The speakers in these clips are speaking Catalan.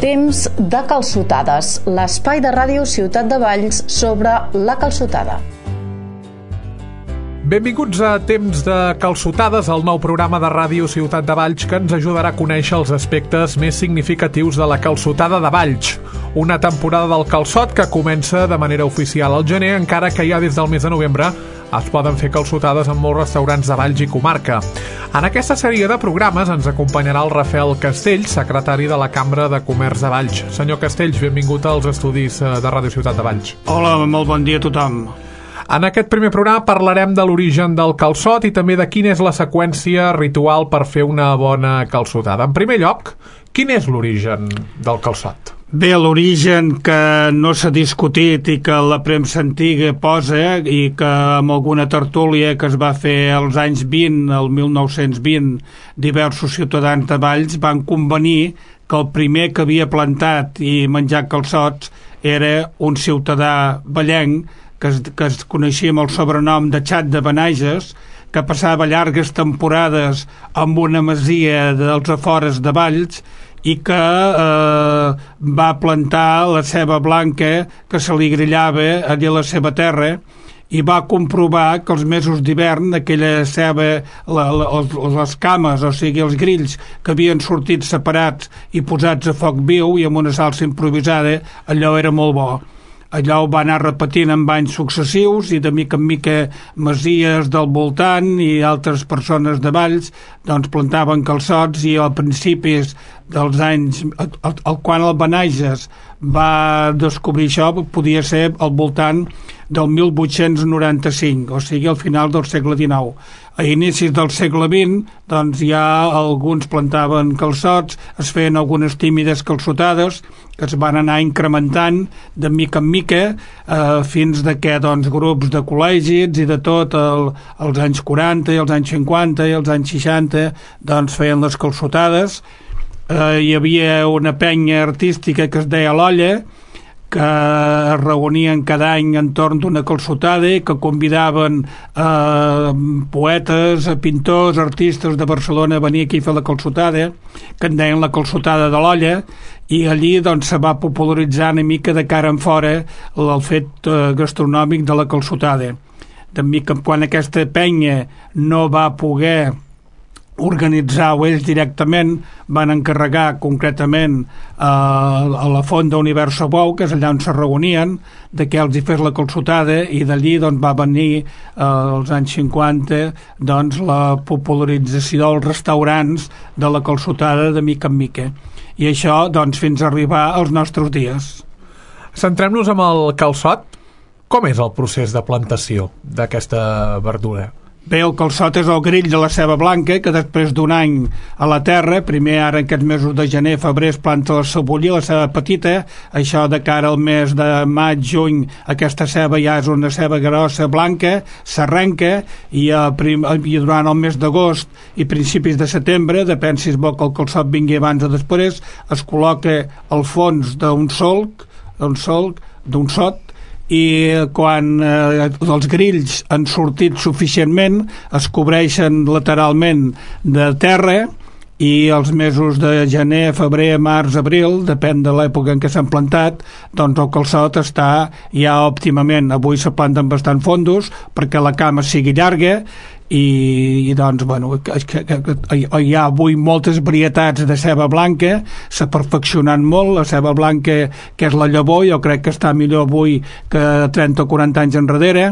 Temps de calçotades, l'espai de ràdio Ciutat de Valls sobre la calçotada. Benvinguts a Temps de calçotades, el nou programa de ràdio Ciutat de Valls que ens ajudarà a conèixer els aspectes més significatius de la calçotada de Valls. Una temporada del calçot que comença de manera oficial al gener, encara que ja des del mes de novembre es poden fer calçotades en molts restaurants de Valls i comarca. En aquesta sèrie de programes ens acompanyarà el Rafael Castells, secretari de la Cambra de Comerç de Valls. Senyor Castells, benvingut als estudis de Ràdio Ciutat de Valls. Hola, molt bon dia a tothom. En aquest primer programa parlarem de l'origen del calçot i també de quina és la seqüència ritual per fer una bona calçotada. En primer lloc, quin és l'origen del calçot? Bé, l'origen que no s'ha discutit i que la premsa antiga posa i que amb alguna tertúlia que es va fer als anys 20, el 1920, diversos ciutadans de Valls van convenir que el primer que havia plantat i menjat calçots era un ciutadà vallenc que es coneixia amb el sobrenom de Xat de Benages, que passava llargues temporades amb una masia dels afores de Valls i que va plantar la ceba blanca que se li grillava allà a la seva terra i va comprovar que els mesos d'hivern aquella ceba, les cames, o sigui els grills que havien sortit separats i posats a foc viu i amb una salsa improvisada, allò era molt bo. Allò ho va anar repetint en anys successius i de mica en mica masies del voltant i altres persones de Valls doncs plantaven calçots i al principis dels anys, quan el Benages va descobrir això, podia ser al voltant del 1895, o sigui al final del segle XIX. A inicis del segle XX doncs ja alguns plantaven calçots, es feien algunes tímides calçotades que es van anar incrementant de mica en mica fins que doncs, grups de col·legis i de tot als anys 40 i als anys 50 i als anys 60 doncs feien les calçotades. Hi havia una penya artística que es deia l'Olla, que es reunien cada any entorn d'una calçotada i que convidaven poetes, pintors, artistes de Barcelona a venir aquí a fer la calçotada, que en deien la calçotada de l'Olla, i allí doncs se va popularitzar una mica de cara en fora el fet gastronòmic de la calçotada. De mica quan aquesta penya no va poder organitzar-ho ells directament, van encarregar concretament a la Font d'Universo Bou, que és allà on se reunien, de que els hi fes la calçotada, i d'allí doncs, va venir als anys 50 doncs, la popularització dels restaurants de la calçotada de mica en mica. I això doncs, fins a arribar als nostres dies. Centrem-nos amb el calçot. Com és el procés de plantació d'aquesta verdura? Bé, el calçot és el grill de la ceba blanca que després d'un any a la terra, primer ara en aquests mesos de gener, febrer es planta la cebolla, la ceba petita, això de cara al mes de maig, juny, aquesta ceba ja és una ceba grossa blanca, s'arrenca i durant el mes d'agost i principis de setembre, depèn si és bo que el calçot vingui abans o després, es col·loca al fons d'un solc, d'un sot, i quan els grills han sortit suficientment es cobreixen lateralment de terra i els mesos de gener, febrer, març, abril, depèn de l'època en què s'han plantat, doncs el calçot està ja òptimament. Avui se planten bastant fondos perquè la cama sigui llarga i doncs, bueno, hi ha avui moltes varietats de ceba blanca, s'ha perfeccionat molt, la ceba blanca que és la llavor, jo crec que està millor avui que 30 o 40 anys enrere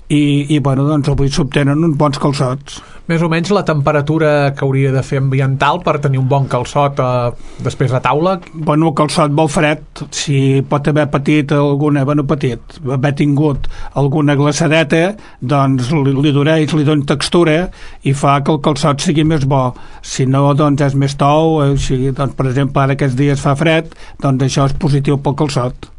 i bueno, doncs avui s'obtenen uns bons calçots. Més o menys la temperatura que hauria de fer ambiental per tenir un bon calçot després a taula? Bueno, el calçot molt fred, si pot haver patit haver tingut alguna glaçadeta, doncs li dona textura i fa que el calçot sigui més bo. Si no, doncs és més tou, doncs, per exemple, ara aquests dies fa fred, doncs això és positiu pel calçot.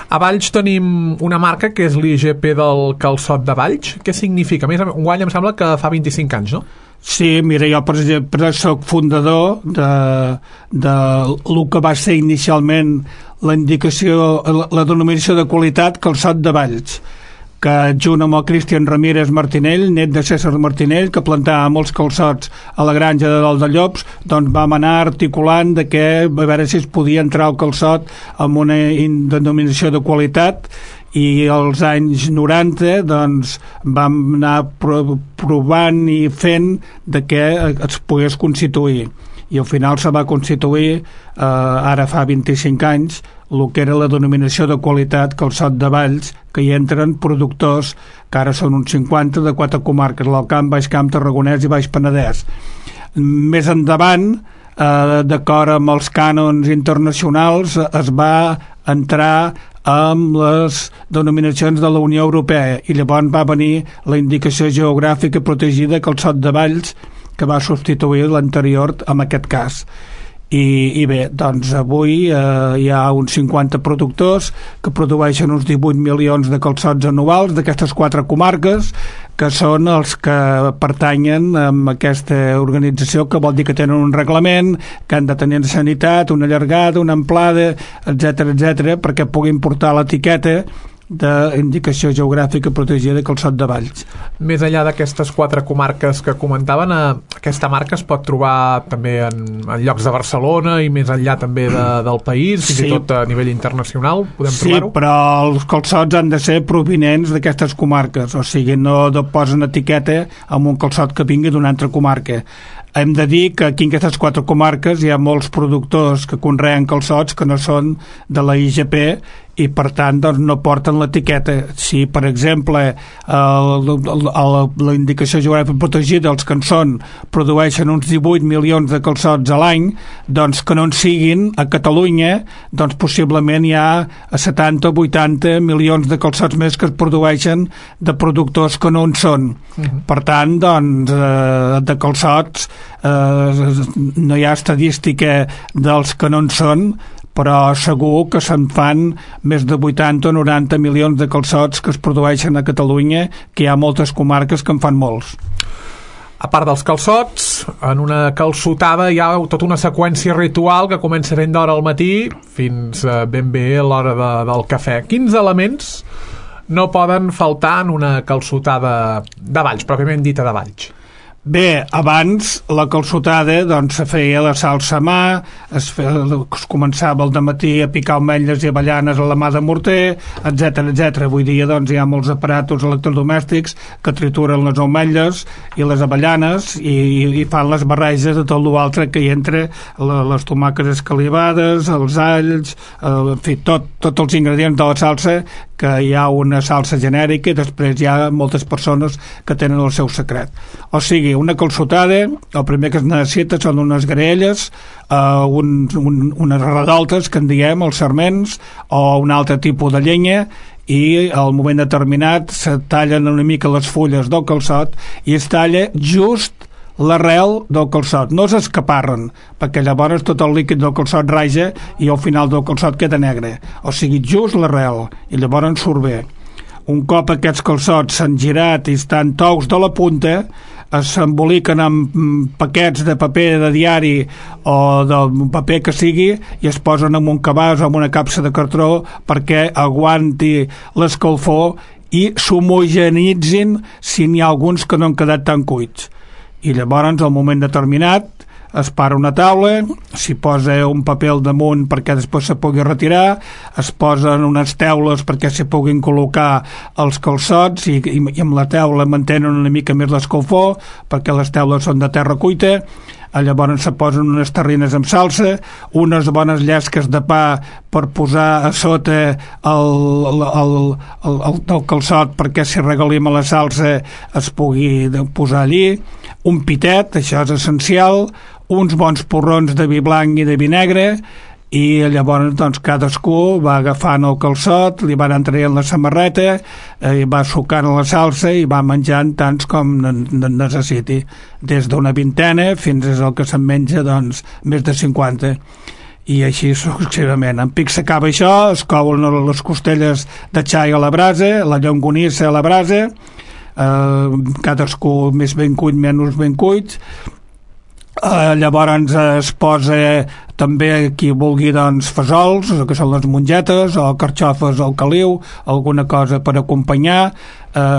A Valls tenim una marca que és l'IGP del calçot de Valls. Què significa? Més enguany em sembla que fa 25 anys, no? Sí, mira, jo per exemple soc fundador de el que va ser inicialment la denominació de qualitat calçot de Valls, que junt amb el Cristian Ramírez Martinell, net de César Martinell, que plantava molts calçots a la granja de Dol de Llops, doncs vam anar articulant de que a veure si es podia entrar el calçot amb una denominació de qualitat, i als anys 90 doncs vam anar provant i fent de que es pogués constituir, i al final se va constituir ara fa 25 anys el que era la denominació de qualitat Calçot de Valls, que hi entren productors que ara són uns 50 de 4 comarques, l'Alt Camp, Baix Camp, Tarragonès i Baix Penedès. Més endavant, d'acord amb els cànons internacionals, es va entrar amb les denominacions de la Unió Europea, i llavors va venir la indicació geogràfica protegida Calçot de Valls, que va substituir l'anterior en aquest cas. I bé, doncs avui hi ha uns 50 productors que produeixen uns 18 milions de calçots anuals d'aquestes 4 comarques, que són els que pertanyen a aquesta organització, que vol dir que tenen un reglament, que han de tenir sanitat, una llargada, una amplada, etc, perquè puguin portar l'etiqueta d'indicació geogràfica protegida de Calçot de Valls. Més enllà d'aquestes 4 comarques que comentaven, aquesta marca es pot trobar també en llocs de Barcelona i més enllà també del país, fins i tot a nivell internacional, podem trobar-ho? Sí, però els calçots han de ser provinents d'aquestes comarques, o sigui, no posen etiqueta amb un calçot que vingui d'una altra comarca. Hem de dir que aquí en aquestes 4 comarques hi ha molts productors que conreen calçots que no són de la IGP i per tant doncs, no porten l'etiqueta. Si per exemple la indicació geogràfica protegida, els que en són, produeixen uns 18 milions de calçots a l'any, doncs que no en siguin a Catalunya, doncs possiblement hi ha 70 o 80 milions de calçots més que es produeixen de productors que no en són. Per tant, doncs, de calçots no hi ha estadística dels que no en són, però segur que se'n fan més de 80 o 90 milions de calçots que es produeixen a Catalunya, que hi ha moltes comarques que en fan molts. A part dels calçots, en una calçotada hi ha tota una seqüència ritual que comença ben d'hora al matí fins ben bé a l'hora del cafè. Quins elements no poden faltar en una calçotada de Valls, pròpiament dita de Valls? Bé, abans la calçotada doncs se feia la salsa a mà, es començava al dematí a picar ametlles i avellanes a la mà de morter, etc. Avui dia doncs hi ha molts aparatos electrodomèstics que trituren les ametlles i les avellanes i fan les barreges de tot l'altre que hi entra, les tomàquets escalivades, els alls, en fi, tots els ingredients de la salsa, que hi ha una salsa genèrica i després hi ha moltes persones que tenen el seu secret. O sigui, una calçotada, el primer que es necessita són unes graelles, unes redoltes, que en diem, els sarments, o un altre tipus de llenya, i al moment determinat se tallen una mica les fulles del calçot i es talla just l'arrel del calçot, no s'escaparren, perquè llavors tot el líquid del calçot raja i al final del calçot queda negre, o sigui, just l'arrel, i llavors surt bé. Un cop aquests calçots s'han girat i estan tous de la punta, s'emboliquen amb paquets de paper de diari o del paper que sigui i es posen en un cabàs o en una capsa de cartró perquè aguanti l'escalfor i s'homogenitzin si n'hi ha alguns que no han quedat tan cuits. I llavors, al moment determinat, es para una taula, s'hi posa un paper al damunt perquè després se pugui retirar, es posen unes teules perquè s'hi puguin col·locar els calçots i amb la teula mantenen una mica més l'escalfor perquè les teules són de terra cuita. Llavors se posen unes terrines amb salsa, unes bones llesques de pa per posar a sota el calçot perquè si regalim a la salsa es pugui posar allí, un pitet, això és essencial, uns bons porrons de vi blanc i de vi negre, i llavors doncs, cadascú va agafant el calçot, li van traient la samarreta, va sucant la salsa i va menjant tants com necessiti, des d'una vintena fins al que se'n menja doncs, més de 50, i així successivament. En pic s'acaba això, es couen les costelles de xai a la brasa, la llonganissa a la brasa, cadascú més ben cuit, menys ben cuit, Llavors es posa també, qui vulgui, doncs, fesols, que són les mongetes, o carxofes al caliu, alguna cosa per acompanyar,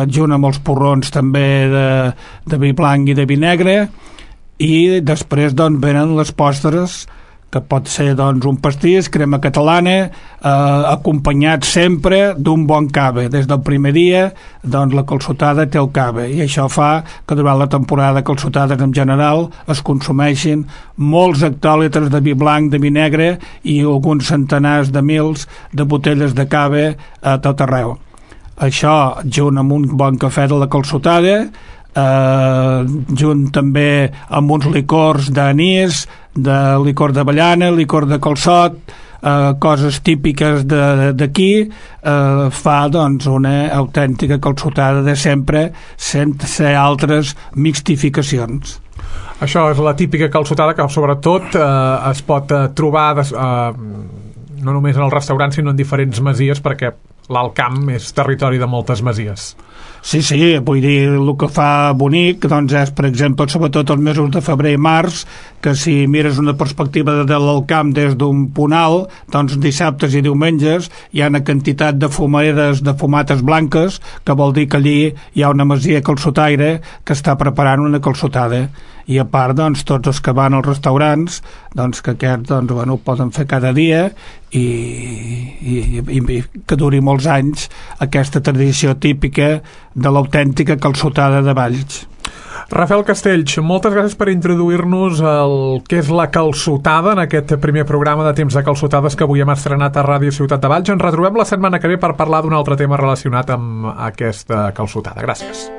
junt amb els porrons també de vi blanc i de vi negre, i després doncs venen les postres, que pot ser doncs un pastís, crema catalana, acompanyat sempre d'un bon cava. Des del primer dia doncs la calçotada té el cava, i això fa que durant la temporada de calçotades en general es consumeixin molts hectòlitres de vi blanc, de vi negre i alguns centenars de mils de botelles de cava a tot arreu. Això, junt amb un bon cafè de la calçotada, junt també amb uns licors d'anís, de licor d'avellana, licor de calçot, coses típiques d'aquí, fa doncs una autèntica calçotada de sempre, sense altres mixtificacions. Això és la típica calçotada que sobretot es pot trobar no només en els restaurants sinó en diferents masies, perquè l'Alt Camp és territori de moltes masies. Sí, vull dir, el que fa bonic doncs és, per exemple, sobretot els mesos de febrer i març, que si mires una perspectiva de l'Alt Camp des d'un punt alt, doncs dissabtes i diumenges hi ha una quantitat de fumaderes de fumates blanques, que vol dir que allí hi ha una masia calçotaire que està preparant una calçotada. I a part, doncs, tots els que van als restaurants, doncs, que aquests, doncs, bueno, ho poden fer cada dia i que duri molts anys aquesta tradició típica de l'autèntica calçotada de Valls. Rafael Castells, moltes gràcies per introduir-nos el que és la calçotada en aquest primer programa de Temps de Calçotades que avui hem estrenat a Ràdio Ciutat de Valls. Ens retrobem la setmana que ve per parlar d'un altre tema relacionat amb aquesta calçotada. Gràcies.